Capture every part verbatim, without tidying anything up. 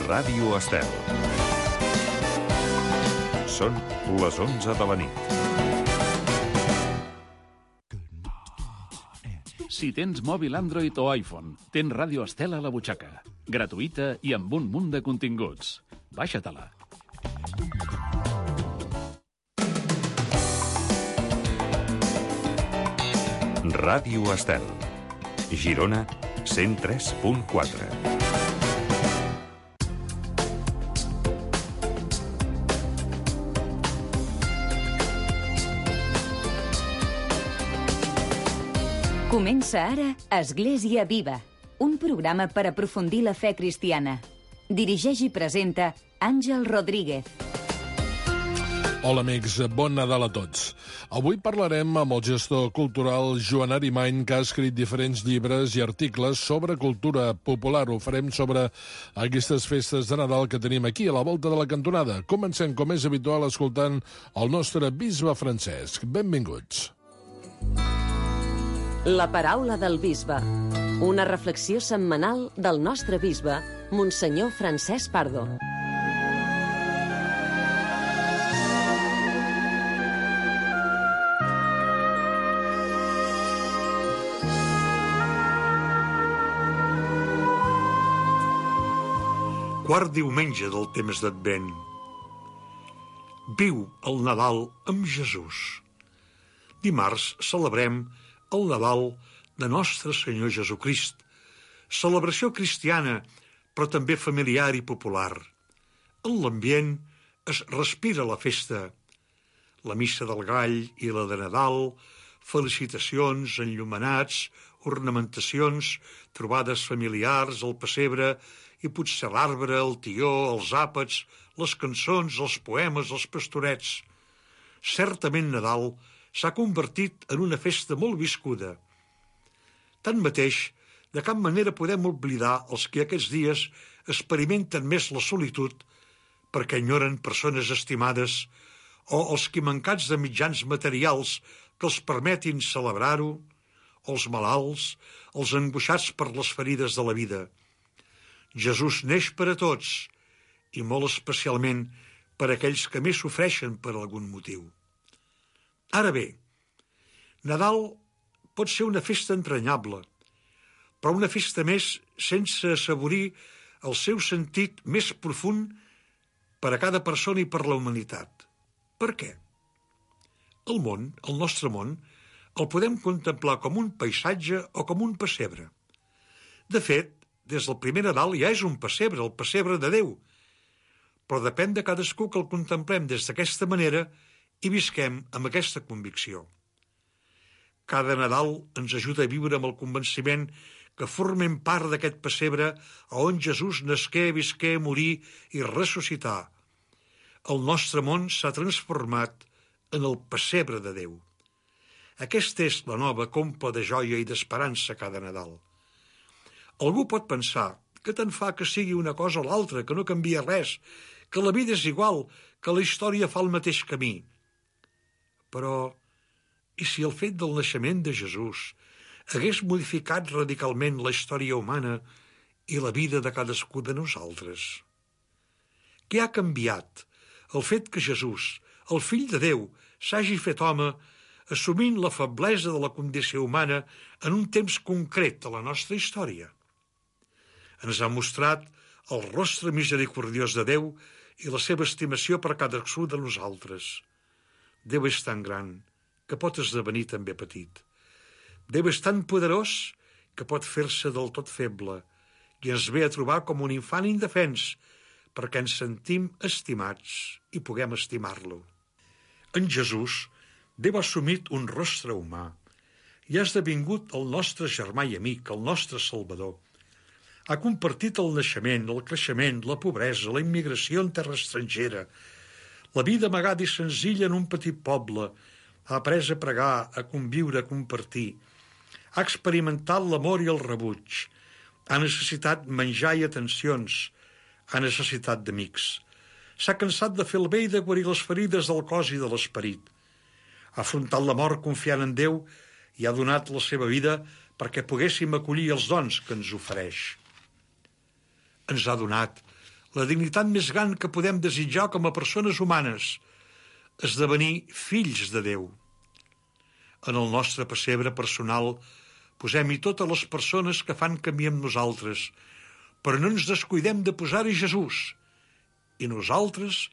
Ràdio Estel. Són les onze de la nit. Si tens mòbil Android o iPhone, tens Ràdio Estel a la butxaca. Gratuïta i amb un munt de continguts. Baixa-te-la. Ràdio Estel. Girona, cent tres punt quatre. Comença ara Església Viva, un programa per aprofundir la fe cristiana. Dirigeix i presenta Àngel Rodríguez. Hola amics, bon Nadal a tots. Avui parlarem amb el gestor cultural Joan Arimany, que ha escrit diferents llibres i articles sobre cultura popular. Ho farem sobre aquestes festes de Nadal que tenim aquí a la volta de la cantonada. Comencem, com és habitual, escoltant el nostre bisbe Francesc. Benvinguts. La paraula del bisbe. Una reflexió setmanal del nostre bisbe, Monsenyor Francesc Pardo. Quart diumenge del temps d'Advent. Viu el Nadal amb Jesús. Dimarts celebrem el Nadal de Nostre Senyor Jesucrist, celebració cristiana, però també familiar i popular. En l'ambient es respira la festa. La missa del gall i la de Nadal, felicitacions, enllumenats, ornamentacions, trobades familiars, el pessebre i potser l'arbre, el tió, els àpats, les cançons, els poemes, els pastorets. Certament Nadal s'ha convertit en una festa molt viscuda. Tanmateix, de cap manera podem oblidar els que aquests dies experimenten més la solitud perquè enyoren persones estimades o els que, mancats de mitjans materials que els permetin celebrar-ho, o els malalts, els angoixats per les ferides de la vida. Jesús neix per a tots i molt especialment per a aquells que més sofreixen per algun motiu. Ara bé, Nadal pot ser una festa entranyable, però una festa més sense assaborir el seu sentit més profund per a cada persona i per la humanitat. Per què? El món, el nostre món, el podem contemplar com un paisatge o com un pessebre. De fet, des del primer Nadal ja és un pessebre, el pessebre de Déu, però depèn de cadascú que el contemplem des d'aquesta manera i visquem amb aquesta convicció. Cada Nadal ens ajuda a viure amb el convenciment que formem part d'aquest pessebre on Jesús nasqué, visqué, morí i ressuscità. El nostre món s'ha transformat en el pessebre de Déu. Aquesta és la nova compla de joia i d'esperança cada Nadal. Algú pot pensar que tant fa que sigui una cosa o l'altra, que no canvia res, que la vida és igual, que la història fa el mateix camí. Però, i si el fet del naixement de Jesús hagués modificat radicalment la història humana i la vida de cadascú de nosaltres? Què ha canviat? El fet que Jesús, el fill de Déu, s'hagi fet home, assumint la feblesa de la condició humana en un temps concret de la nostra història. Ens ha mostrat el rostre misericordiós de Déu i la seva estimació per cadascú de nosaltres. Déu és tan gran que pot esdevenir també petit. Déu és tan poderós que pot fer-se del tot feble i ens ve a trobar com un infant indefens perquè ens sentim estimats i puguem estimar-lo. En Jesús, Déu ha assumit un rostre humà i ha esdevingut el nostre germà i amic, el nostre Salvador. Ha compartit el naixement, el creixement, la pobresa, la immigració en terra estrangera, la vida amagada i senzilla en un petit poble, ha après a pregar, a conviure, a compartir. Ha experimentat l'amor i el rebuig. Ha necessitat menjar i atencions. Ha necessitat d'amics. S'ha cansat de fer el bé i de guarir les ferides del cos i de l'esperit. Ha afrontat la mort confiant en Déu i ha donat la seva vida perquè poguéssim acollir els dons que ens ofereix. Ens ha donat la dignitat més gran que podem desitjar com a persones humanes, esdevenir fills de Déu. En el nostre pessebre personal posem-hi totes les persones que fan camí amb nosaltres, però no ens descuidem de posar-hi Jesús, i nosaltres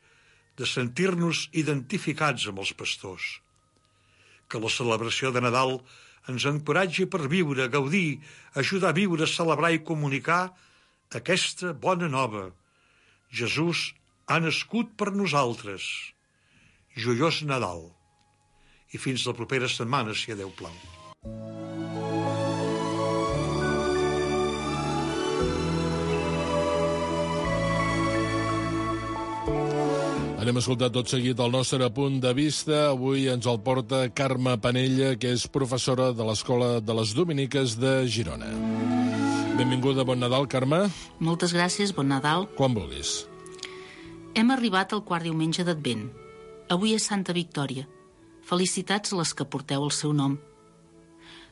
de sentir-nos identificats amb els pastors. Que la celebració de Nadal ens encoratgi per viure, gaudir, ajudar a viure, celebrar i comunicar aquesta bona nova. Jesús ha nascut per nosaltres. Joiós Nadal. I fins la propera setmana, si a Déu plau. Anem a escoltar tot seguit el nostre punt de vista. Avui ens el porta Carme Panella, que és professora de l'Escola de les Dominiques de Girona. Benvinguda, bon Nadal, Carme. Moltes gràcies, bon Nadal. Quan vulguis. Hem arribat al quart diumenge d'Advent. Avui és Santa Victòria. Felicitats a les que porteu el seu nom.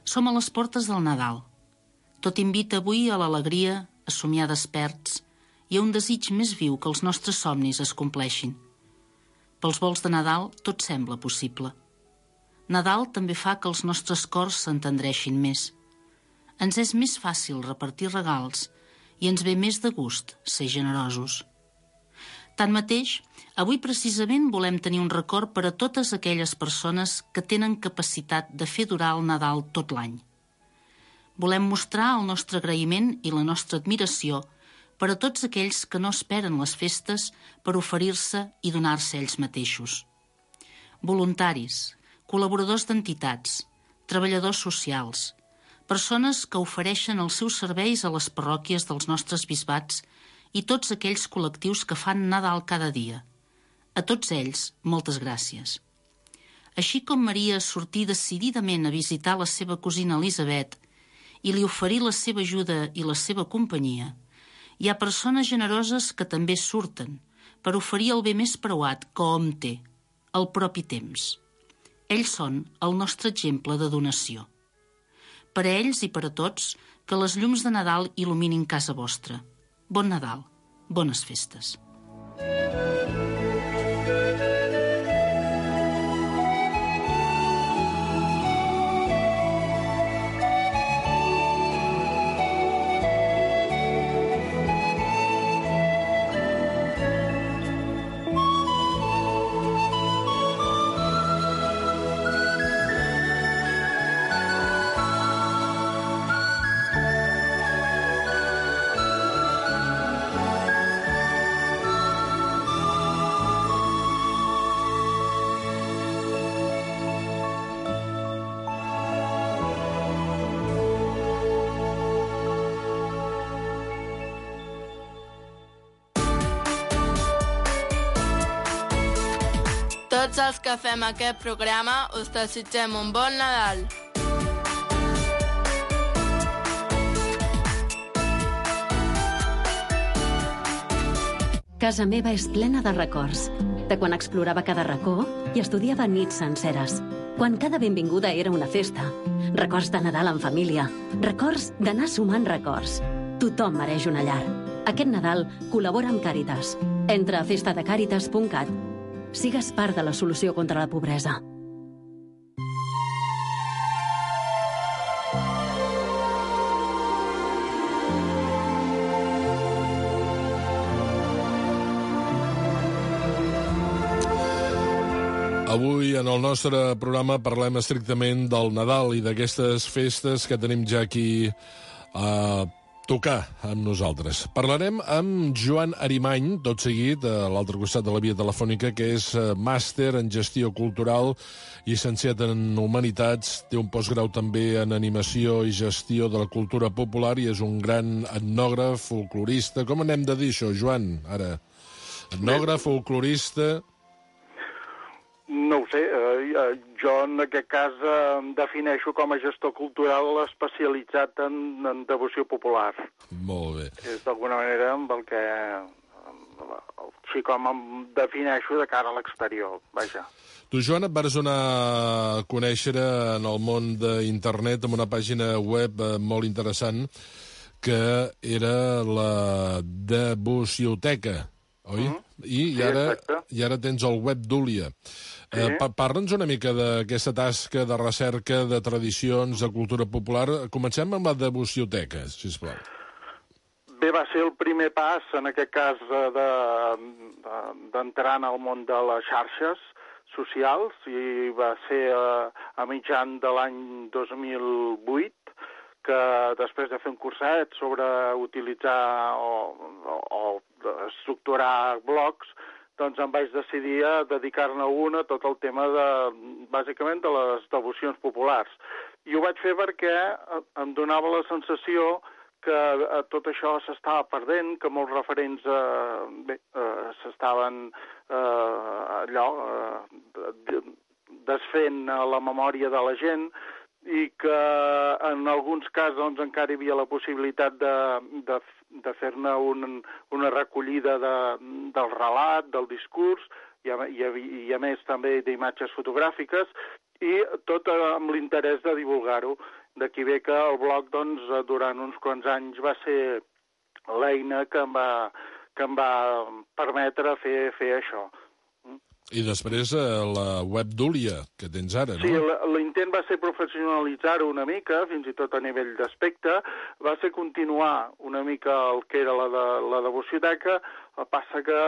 Som a les portes del Nadal. Tot invita avui a l'alegria, a somiar desperts i a un desig més viu que els nostres somnis es compleixin. Pels volts de Nadal tot sembla possible. Nadal també fa que els nostres cors s'entendreixin més. Ens és més fàcil repartir regals i ens ve més de gust ser generosos. Tanmateix, avui precisament volem tenir un record per a totes aquelles persones que tenen capacitat de fer durar el Nadal tot l'any. Volem mostrar el nostre agraïment i la nostra admiració per a tots aquells que no esperen les festes per oferir-se i donar-se ells mateixos. Voluntaris, col·laboradors d'entitats, treballadors socials, persones que ofereixen els seus serveis a les parròquies dels nostres bisbats i tots aquells col·lectius que fan Nadal cada dia. A tots ells, moltes gràcies. Així com Maria sortí decididament a visitar la seva cosina Elisabet i li oferí la seva ajuda i la seva companyia, hi ha persones generoses que també surten per oferir el bé més preuat que hom té, el propi temps. Ells són el nostre exemple de donació. Per a ells i per a tots, que les llums de Nadal il·luminin casa vostra. Bon Nadal, bones festes. Tots els que fem aquest programa us desitgem un bon Nadal. Casa meva és plena de records, de quan explorava cada racó i estudiava nits senceres, quan cada benvinguda era una festa, records de Nadal en família, records d'anar sumant records. Tothom mereix una llar. Aquest Nadal col·labora amb Càritas. Entra a festa de càritas punt cat. Sigues part de la solució contra la pobresa. Avui, en el nostre programa, parlem estrictament del Nadal i d'aquestes festes que tenim ja aquí a tocar amb nosaltres. Parlarem amb Joan Arimany, tot seguit, a l'altre costat de la via telefònica, que és màster en gestió cultural, llicenciat en Humanitats, té un postgrau també en animació i gestió de la cultura popular i és un gran etnògraf, folclorista. Com anem de dir això, Joan, ara? Etnògraf, folclorista... No ho sé, eh, jo en aquest cas eh, em defineixo com a gestor cultural especialitzat en, en devoció popular. Molt bé. És d'alguna manera amb el que, així com em defineixo de cara a l'exterior, vaja. Tu, Joan, et vas donar a conèixer en el món d'internet amb una pàgina web eh, molt interessant que era la Devocioteca, oi? Mm -hmm. I, sí, i, ara, exacte. I ara tens el web Dúlia. Sí. Eh, pa Parla'ns una mica d'aquesta tasca de recerca de tradicions, de cultura popular. Comencem amb la Devocioteca, sisplau. Bé, va ser el primer pas, en aquest cas, d'entrar de, de, en el món de les xarxes socials, i va ser a, a mitjan de l'any dos mil vuit, que després de fer un curset sobre utilitzar o, o, o estructurar blogs, doncs em vaig decidir a dedicar-ne un a tot el tema de, bàsicament, de les devocions populars. I ho vaig fer perquè em donava la sensació que eh, tot això s'estava perdent, que molts referents eh, bé, eh, s'estaven eh, allò eh, desfent a la memòria de la gent, i que en alguns casos doncs, encara hi havia la possibilitat de, de, de fer-ne un, una recollida de, del relat, del discurs, i a, i, a, i a més també d'imatges fotogràfiques, i tot amb l'interès de divulgar-ho. D'aquí ve que el blog, doncs, durant uns quants anys va ser l'eina que em va, que em va permetre fer, fer això. I després la web Dúlia, que tens ara, no? Sí, l'intent va ser professionalitzar-ho una mica, fins i tot a nivell d'aspecte, va ser continuar una mica el que era la, de, la devocioteca, el passa que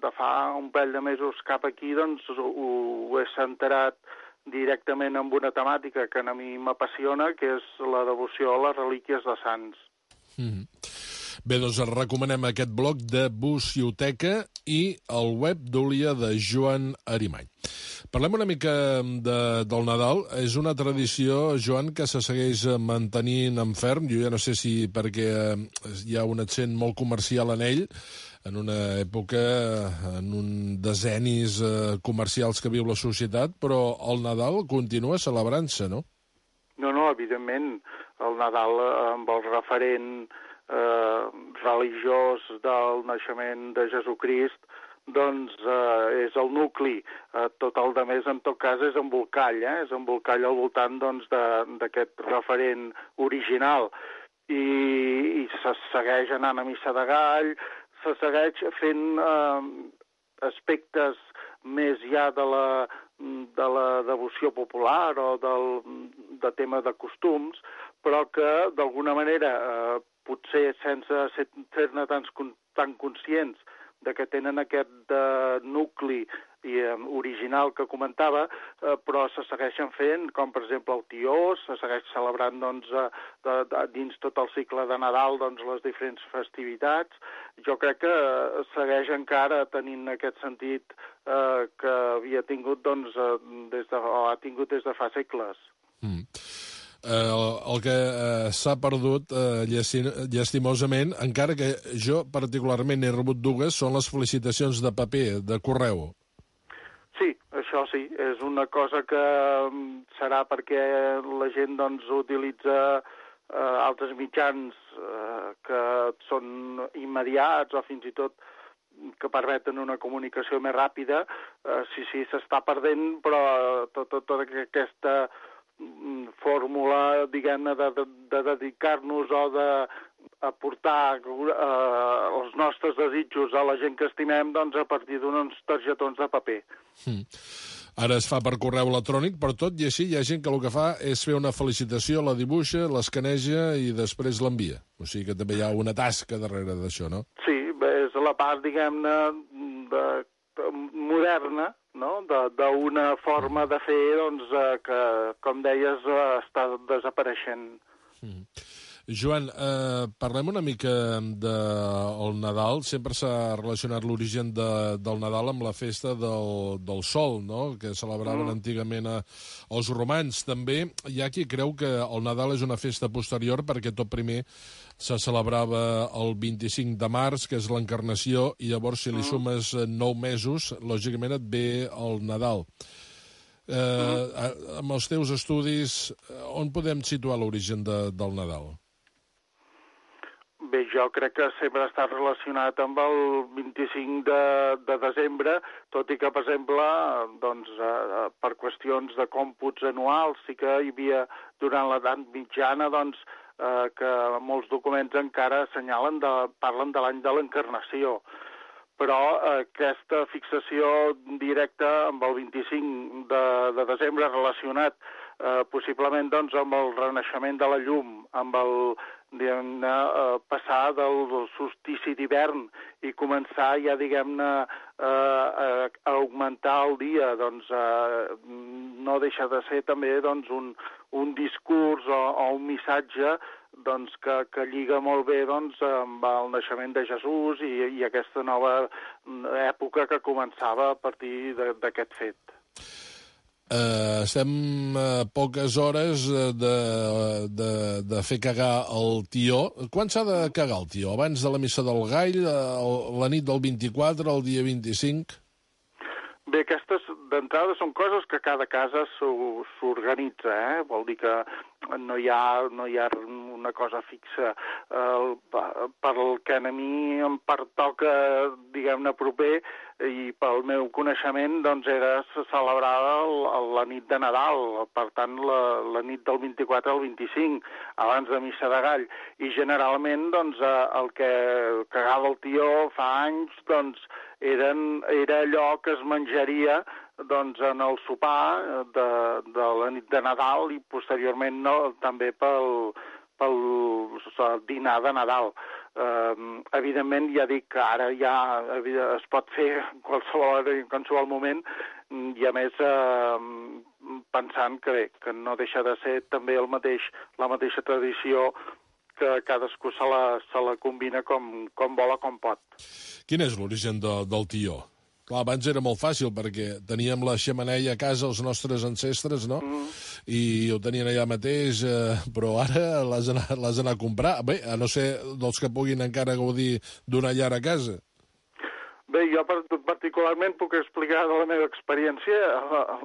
de fa un parell de mesos cap aquí, doncs, ho, ho he centrat directament amb una temàtica que a mi m'apassiona, que és la devoció a les relíquies de sants. Mm-hmm. Bé, doncs recomanem aquest blog de Devocioteca i el web Dúlia de Joan Arimany. Parlem una mica de, del Nadal. És una tradició, Joan, que se segueix mantenint en ferm. Jo ja no sé si perquè hi ha un accent molt comercial en ell, en una època, en un decennis comercials que viu la societat, però el Nadal continua celebrant-se, no? No, no, evidentment. El Nadal amb el referent Eh, religiós del naixement de Jesucrist, doncs eh, és el nucli. Eh, tot el de més, en tot cas, és embolcall, eh? És embolcall al voltant doncs, d'aquest referent original. I, i se segueix anant a missa de gall, se segueix fent eh, aspectes més ja de la, de la devoció popular o del, de tema de costums, però que d'alguna manera eh, potser sense ser-ne tan, tan conscients de que tenen aquest uh, nucli i, um, original que comentava, uh, però se segueixen fent, com per exemple el Tió, se segueix celebrant doncs, uh, de, de, dins tot el cicle de Nadal doncs, les diferents festivitats. Jo crec que uh, segueix encara tenint aquest sentit uh, que havia tingut doncs, uh, des de, o ha tingut des de fa segles. Mm. Eh, el, el que eh, s'ha perdut eh, llastimosament, encara que jo particularment he rebut dues, són les felicitacions de paper, de correu. Sí, això sí, és una cosa que serà perquè la gent doncs, utilitza eh, altres mitjans eh, que són immediats o fins i tot que permeten una comunicació més ràpida. Eh, sí, sí, s'està perdent, però tota, tota aquesta fórmula, diguem-ne, de, de, de dedicar-nos o d'aportar eh, els nostres desitjos a la gent que estimem doncs, a partir d'uns targetons de paper. Mm. Ara es fa per correu electrònic, però tot i així hi ha gent que el que fa és fer una felicitació, la dibuixa, l'escaneja i després l'envia. O sigui que també hi ha una tasca darrere d'això, no? Sí, és la part, diguem-ne, de, de, moderna, no? d'una forma de fer doncs, eh, que, com deies, eh, està desapareixent. Mm. Joan, eh, parlem una mica del Nadal. Sempre s'ha relacionat l'origen de, del Nadal amb la festa del, del Sol, no? Que celebraven mm. antigament a, els romans. També hi ha qui creu que el Nadal és una festa posterior perquè tot primer se celebrava el vint-i-cinc de març, que és l'Encarnació, i llavors si li sumes nou mesos, lògicament et ve el Nadal. Eh, mm. Amb els teus estudis, on podem situar l'origen de, del Nadal? Bé, jo crec que sempre està relacionat amb el vint-i-cinc de, de desembre, tot i que, per exemple, doncs, eh, per qüestions de còmputs anuals, sí que hi havia, durant l'edat mitjana, doncs, eh, que molts documents encara assenyalen, de, parlen de l'any de l'Encarnació. Però eh, aquesta fixació directa amb el vint-i-cinc de, de desembre relacionat eh, possiblement doncs, amb el renaixement de la llum, amb el diguem-ne, eh, passar del solstici d'hivern i començar ja, diguem-ne, eh, a, a augmentar el dia, doncs eh, no deixa de ser també doncs, un, un discurs o, o un missatge doncs, que, que lliga molt bé doncs, amb el naixement de Jesús i, i aquesta nova època que començava a partir d'aquest fet. Uh, estem a poques hores de, de, de fer cagar el tió. Quan s'ha de cagar el tió? Abans de la missa del Gall, la nit del vint-i-quatre, el dia vint-i-cinc? Bé, aquestes d'entrada són coses que cada casa s'organitza, eh? Vol dir que no hi ha, no hi ha una cosa fixa. El, pel que a mi em pertoca, diguem-ne, proper, i pel meu coneixement, doncs, era celebrada la nit de Nadal, per tant, la, la nit del vint-i-quatre al vint-i-cinc, abans de missa de Gall. I generalment, doncs, el que cagava el tió fa anys, doncs, eren, era allò que es menjaria doncs, en el sopar de, de la nit de Nadal i posteriorment no, també pel, pel dinar de Nadal. Uh, evidentment, ja dic que ara ja es pot fer en qualsevol, en qualsevol moment i a més uh, pensant que bé, que no deixa de ser també el mateix, la mateixa tradició que cadascú se la, se la combina com, com vol o com pot. Quin és l'origen de, del tió? Clar, abans era molt fàcil perquè teníem la xemeneia a casa els nostres ancestres, no? Mm. I ho tenien allà mateix, eh, però ara l'has anat, l'has anat a comprar. Bé, a no ser dels que puguin encara gaudir d'una llar a casa. Bé, jo particularment puc explicar de la meva experiència.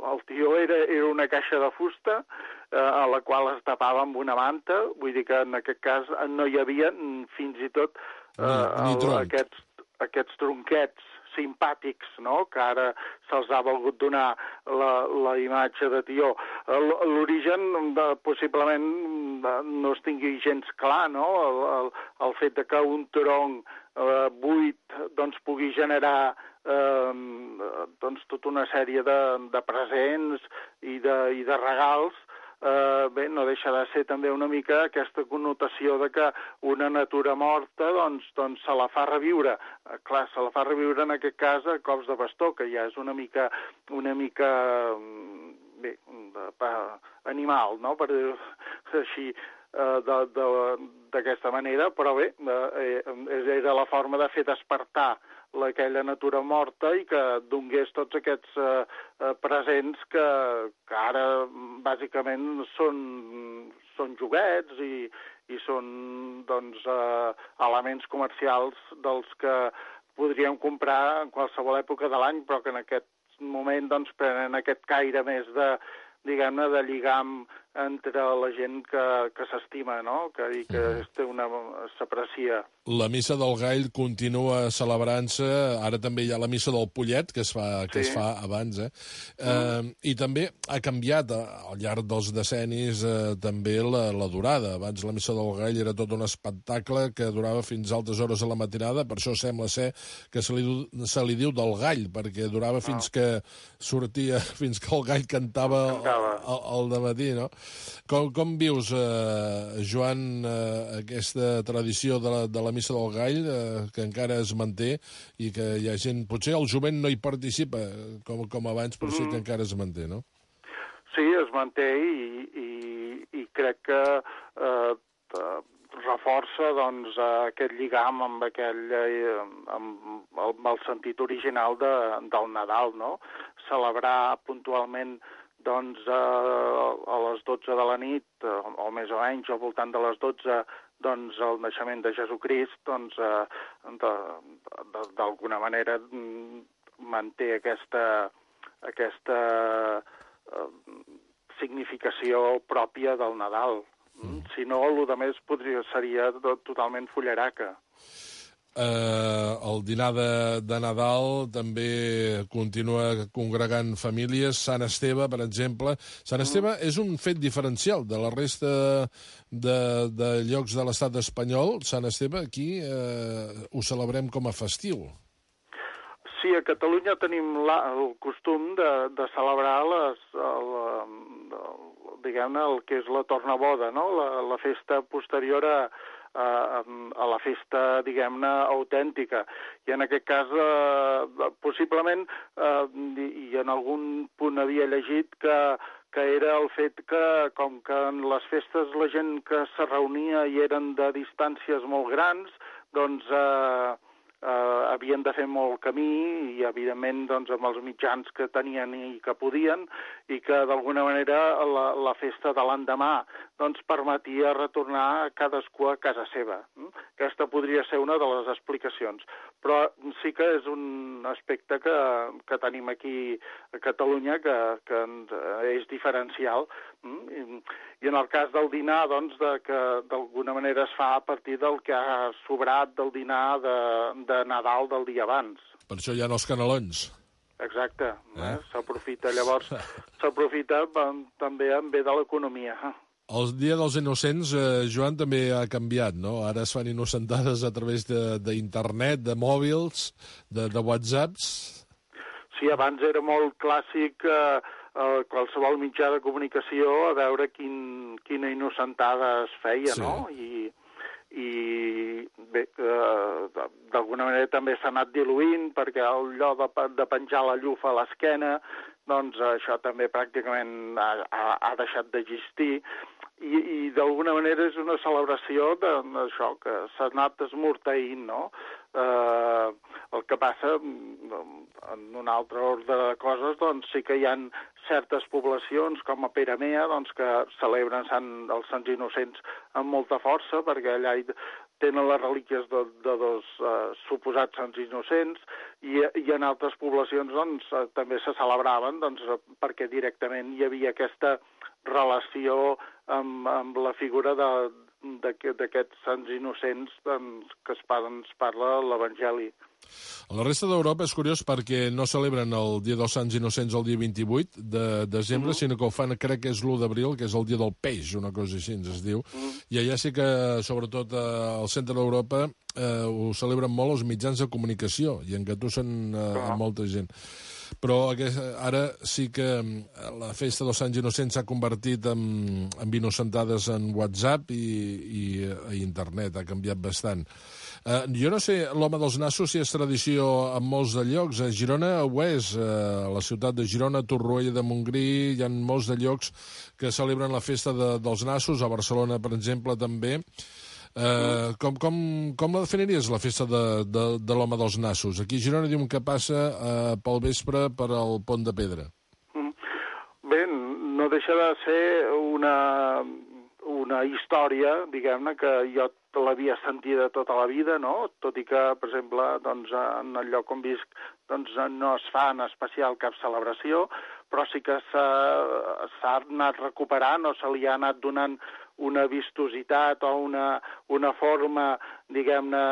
El tió era, era una caixa de fusta eh, a la qual es tapava amb una manta, vull dir que en aquest cas no hi havia fins i tot eh, ni, ni el, aquests, aquests tronquets simpàtics, no?, que ara se'ls ha volgut donar la, la imatge de tió. L'origen de, possiblement de, no es tingui gens clar, no?, el, el, el fet de que un tronc eh, buit doncs, pugui generar eh, doncs, tota una sèrie de, de presents i de, i de regals. Uh, bé, no deixa de ser també una mica aquesta connotació de que una natura morta doncs, doncs se la fa reviure. Uh, clar, se la fa reviure en aquest cas a cops de bastó, que ja és una mica, una mica bé, de, pa, animal, no?, per dir-ho així, uh, d'aquesta manera, però bé, uh, era la forma de fer despertar aquella natura morta i que donés tots aquests eh, presents que, que ara bàsicament són, són joguets i, i són doncs, eh, elements comercials dels que podríem comprar en qualsevol època de l'any, però que en aquest moment doncs, prenen aquest caire més de, diguem-ne, de lligam entre la gent que, que s'estima, no?, que, i que mm. té una s'aprecia. La missa del Gall continua celebrant-se, ara també hi ha la missa del Pollet, que es fa, que sí. es fa abans, eh? Mm. eh? I també ha canviat al llarg dels decennis eh, també la, la durada. Abans la missa del Gall era tot un espectacle que durava fins a altes hores a la matinada, per això sembla ser que se li, se li diu del Gall, perquè durava no. fins que sortia, fins que el gall cantava, cantava. Al, al dematí, no? Com, com vius, eh, Joan, eh, aquesta tradició de la, de la missa del Gall, eh, que encara es manté i que hi ha gent... Potser el jovent no hi participa, com, com abans, però mm. sí que encara es manté, no? Sí, es manté i, i, i crec que eh, reforça doncs, aquest lligam amb, aquell, eh, amb, el, amb el sentit original de, del Nadal, no? Celebrar puntualment doncs, a, a les dotze de la nit, o més o menys, al voltant de les dotze, doncs, el naixement de Jesucrist, doncs, d'alguna manera manté aquesta, aquesta eh, significació pròpia del Nadal. Mm. Si no, el que més podria, seria totalment fullaraca. Eh, el dinar de, de Nadal també continua congregant famílies. Sant Esteve, per exemple. Sant Esteve mm. és un fet diferencial de la resta de, de llocs de l'estat espanyol. Sant Esteve aquí eh, ho celebrem com a festiu. Sí, a Catalunya tenim la, el costum de, de celebrar les, el, el, diguem-ne, el que és la tornaboda, no? La, la festa posterior a a la festa, diguem-ne, autèntica. I en aquest cas, eh, possiblement, eh, i en algun punt havia llegit que, que era el fet que, com que en les festes la gent que se reunia i eren de distàncies molt grans, doncs eh, eh, havien de fer molt camí i, evidentment, doncs, amb els mitjans que tenien i que podien, i que, d'alguna manera, la, la festa de l'endemà doncs, permetia retornar cadascú a casa seva. Aquesta podria ser una de les explicacions. Però sí que és un aspecte que, que tenim aquí a Catalunya que, que és diferencial. I, i en el cas del dinar, doncs, de, que d'alguna manera es fa a partir del que ha sobrat del dinar de, de Nadal del dia abans. Per això hi ha els canelons. Exacte. Eh? Eh? S'aprofita, llavors, s'aprofita també en bé de l'economia. El Dia dels Innocents, eh, Joan, també ha canviat, no? Ara es fan innocentades a través d'internet, de, de mòbils, de, de whatsapps. Sí, abans era molt clàssic eh, eh, qualsevol mitjà de comunicació a veure quin, quina innocentada es feia, sí. No? I, i bé, eh, d'alguna manera també s'ha anat diluint perquè allò de, de penjar la llufa a l'esquena, doncs això també pràcticament ha, ha, ha deixat d'existir. I, i d'alguna manera és una celebració d'això, que s'ha anat esmorteint, no? Eh, el que passa, en un altre ordre de coses, doncs sí que hi ha certes poblacions, com a Peramea, doncs, que celebren Sant, els Sants Innocents amb molta força, perquè allà hi tenen les relíquies de, de dos eh, suposats Sants Innocents, i, i en altres poblacions doncs, també se celebraven, doncs, perquè directament hi havia aquesta relació amb, amb la figura d'aquests sants innocents doncs, que es parla, ens parla l'Evangeli. A la resta d'Europa és curiós perquè no celebren el Dia dels Sants Innocents el dia vint-i-vuit de desembre, mm. sinó que ho fan, crec que és l'u d'abril, que és el Dia del Peix, una cosa així ens es diu. Mm. I allà sí que, sobretot al centre d'Europa, eh, ho celebren molt els mitjans de comunicació i engatussen eh, a molta gent. Però ara sí que la festa dels Sants Innocents s'ha convertit en, en innocentades en WhatsApp i, i a internet, ha canviat bastant. Uh, jo no sé, l'home dels nassos, si és tradició en molts de llocs. A Girona ho és, uh, a la ciutat de Girona, a Torroella de Montgrí, hi ha molts de llocs que celebren la festa de, dels nassos, a Barcelona, per exemple, també. Uh, com, com, com la definiries, la festa de, de, de l'home dels nassos? Aquí a Girona diuen que passa uh, pel vespre per al Pont de Pedra. Bé, no deixa de ser una, una història, diguem-ne, que jo l'havia sentida tota la vida, no? Tot i que, per exemple, doncs, en el lloc on visc doncs, no es fa en especial cap celebració, però sí que s'ha anat recuperant o se li ha anat donant una vistositat o una, una forma, diguem-ne,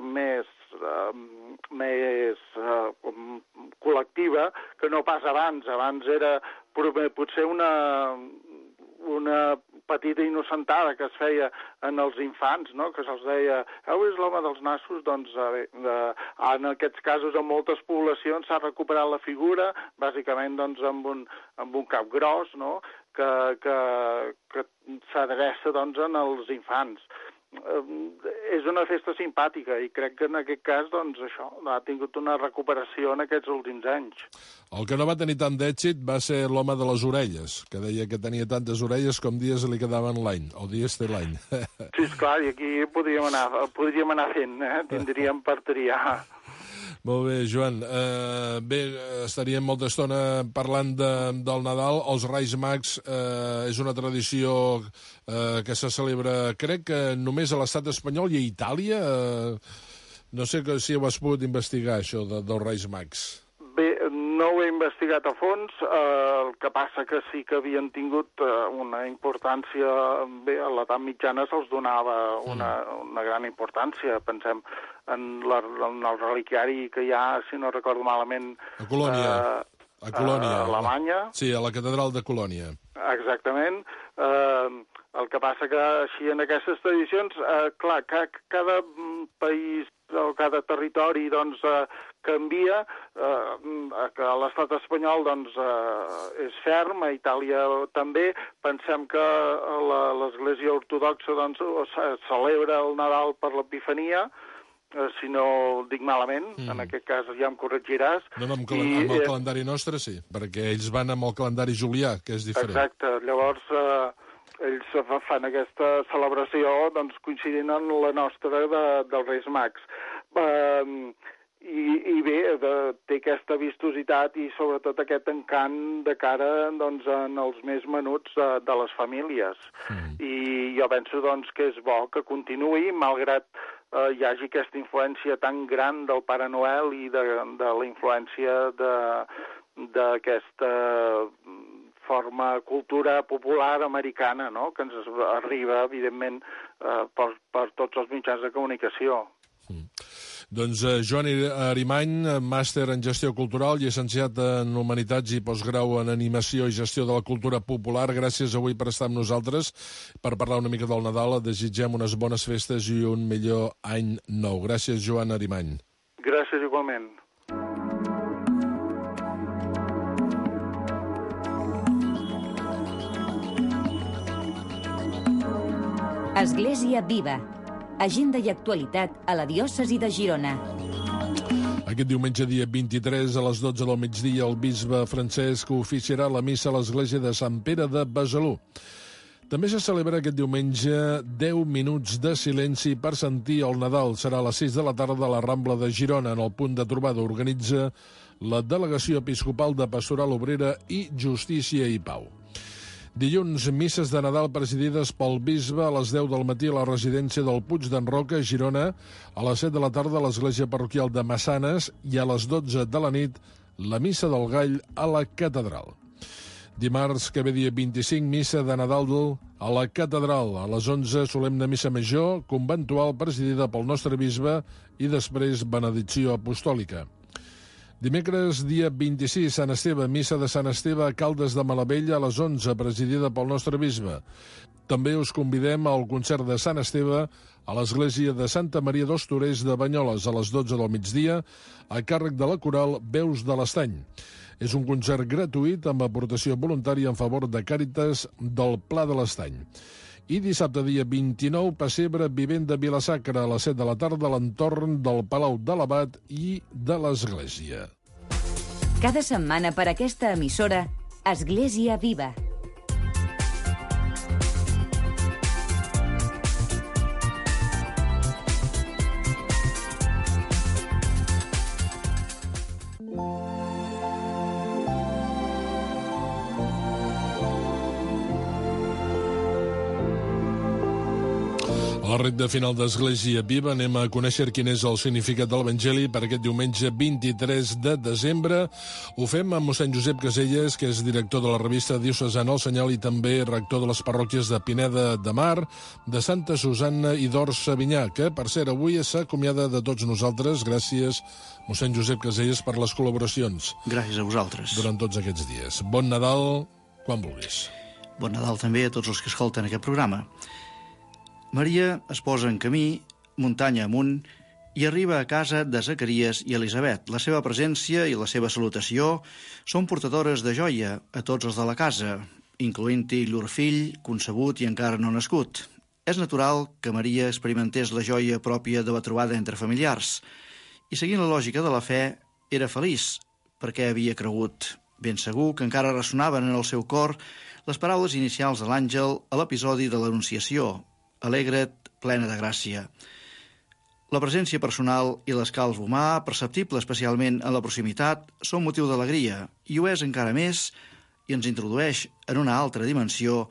més, uh, més uh, col·lectiva que no pas abans. Abans era potser una, una petita innocentada que es feia en els infants, no? Que se'ls deia, heu vist l'home dels nassos? Doncs eh, eh, en aquests casos, en moltes poblacions s'ha recuperat la figura, bàsicament doncs, amb, un, amb un cap gros, no? que, que, que s'adreça doncs, en els infants. Eh, és una festa simpàtica i crec que en aquest cas doncs, això ha tingut una recuperació en aquests últims anys. El que no va tenir tant d'èxit va ser l'home de les orelles, que deia que tenia tantes orelles com dies li quedaven l'any, o dies té l'any. Sí, esclar, i aquí podríem anar, podríem anar fent, eh? Tindríem per triar. Molt bé, Joan. Uh, bé, estaríem molta estona parlant de, del Nadal. Els Reis Mags uh, és una tradició uh, que se celebra, crec que només a l'estat espanyol i a Itàlia. Uh, no sé que, si ho has pogut investigar, això de, dels Reis Mags. Bé, no ho he investigat a fons, eh, el que passa que sí que havien tingut eh, una importància, bé, a l'edat mitjana se'ls donava una, una gran importància, pensem, en, la, en el reliquiari que hi ha, si no recordo malament... A Colònia. Eh, a Colònia. A Alemanya. Sí, a la catedral de Colònia. Exactament. Eh, el que passa que així en aquestes tradicions, eh, clar, ca, cada país o cada territori doncs, eh, canvia, eh, que l'estat espanyol doncs, eh, és ferm, a Itàlia també. Pensem que l'Església Ortodoxa doncs, celebra el Nadal per l'Epifania, eh, si no dic malament, mm. en aquest cas ja em corregiràs. No, no, amb, I, amb el eh, calendari nostre sí, perquè ells van amb el calendari julià, que és diferent. Exacte, llavors eh, ells fan aquesta celebració doncs, coincidint amb la nostra de, dels Reis Mags. Eh, i, i bé, de, té aquesta vistositat i sobretot aquest encant de cara doncs, en els més menuts de, de les famílies. Mm. I jo penso doncs, que és bo que continuï, malgrat eh, hi hagi aquesta influència tan gran del Pare Noel i de, de la influència d'aquesta forma cultura popular americana, no?, que ens arriba, evidentment, eh, per, per tots els mitjans de comunicació. Mm. Doncs eh, Joan Arimany, màster en gestió cultural, llicenciat en Humanitats i postgrau en Animació i Gestió de la Cultura Popular, gràcies avui per estar amb nosaltres, per parlar una mica del Nadal. Desitgem unes bones festes i un millor any nou. Gràcies, Joan Arimany. Gràcies, igualment. Església Viva. Agenda i actualitat a la diòcesi de Girona. Aquest diumenge, dia vint-i-tres, a les dotze del migdia, el bisbe Francesc oficiarà la missa a l'església de Sant Pere de Besalú. També se celebra aquest diumenge deu minuts de silenci per sentir el Nadal. Serà a les sis de la tarda a la Rambla de Girona, en el punt de trobada. Organitza la Delegació Episcopal de Pastoral Obrera i Justícia i Pau. Dilluns, misses de Nadal presidides pel bisbe a les deu del matí a la residència del Puig d'en Roca, a Girona, a les set de la tarda a l'església parroquial de Massanes i a les dotze de la nit la missa del Gall a la catedral. Dimarts, que ve dia vint-i-cinc, missa de Nadal a la catedral. A les onze, solemne missa major, conventual, presidida pel nostre bisbe i després benedicció apostòlica. Dimecres, dia vint-i-sis, Sant Esteve, missa de Sant Esteve a Caldes de Malavella a les onze, presidida pel nostre bisbe. També us convidem al concert de Sant Esteve a l'església de Santa Maria dels Torers de Banyoles a les dotze del migdia, a càrrec de la coral Veus de l'Estany. És un concert gratuït amb aportació voluntària en favor de Càritas del Pla de l'Estany. I dissabte, dia vint-i-nou, pessebre vivent de Vila-sacra a les set de la tarda a l'entorn del Palau de l'Abat i de l'Església. Cada setmana per aquesta emissora, Església Viva. A la recta final d'Església Viva anem a conèixer quin és el significat de l'Evangeli per aquest diumenge vint-i-tres de desembre. Ho fem amb mossèn Josep Caselles, que és director de la revista Diocesana El Senyal i també rector de les parròquies de Pineda de Mar, de Santa Susanna i d'Ors Sabinyà, que, per cert, avui s'acomiada de tots nosaltres. Gràcies, mossèn Josep Caselles, per les col·laboracions. Gràcies a vosaltres. Durant tots aquests dies. Bon Nadal, quan vulguis. Bon Nadal també a tots els que escolten aquest programa. Maria es posa en camí, muntanya amunt, i arriba a casa de Zacaries i Elisabet. La seva presència i la seva salutació són portadores de joia a tots els de la casa, incloent-hi llur fill, concebut i encara no nascut. És natural que Maria experimentés la joia pròpia de la trobada entre familiars, i seguint la lògica de la fe, era feliç, perquè havia cregut. Ben segur que encara ressonaven en el seu cor les paraules inicials de l'àngel a l'episodi de l'Anunciació: Alegra't, plena de gràcia. La presència personal i l'escalf humà, perceptible especialment en la proximitat, són motiu d'alegria, i ho és encara més, i ens introdueix en una altra dimensió,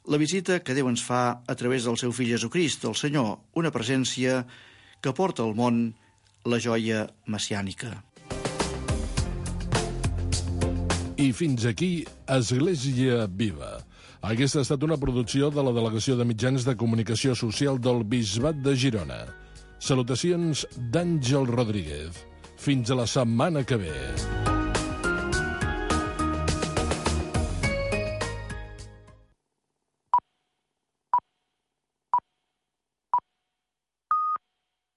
la visita que Déu ens fa a través del seu fill Jesucrist, el Senyor, una presència que porta al món la joia messiànica. I fins aquí, Església Viva. Aquesta ha estat una producció de la Delegació de Mitjans de Comunicació Social del Bisbat de Girona. Salutacions d'Àngel Rodríguez. Fins a la setmana que ve.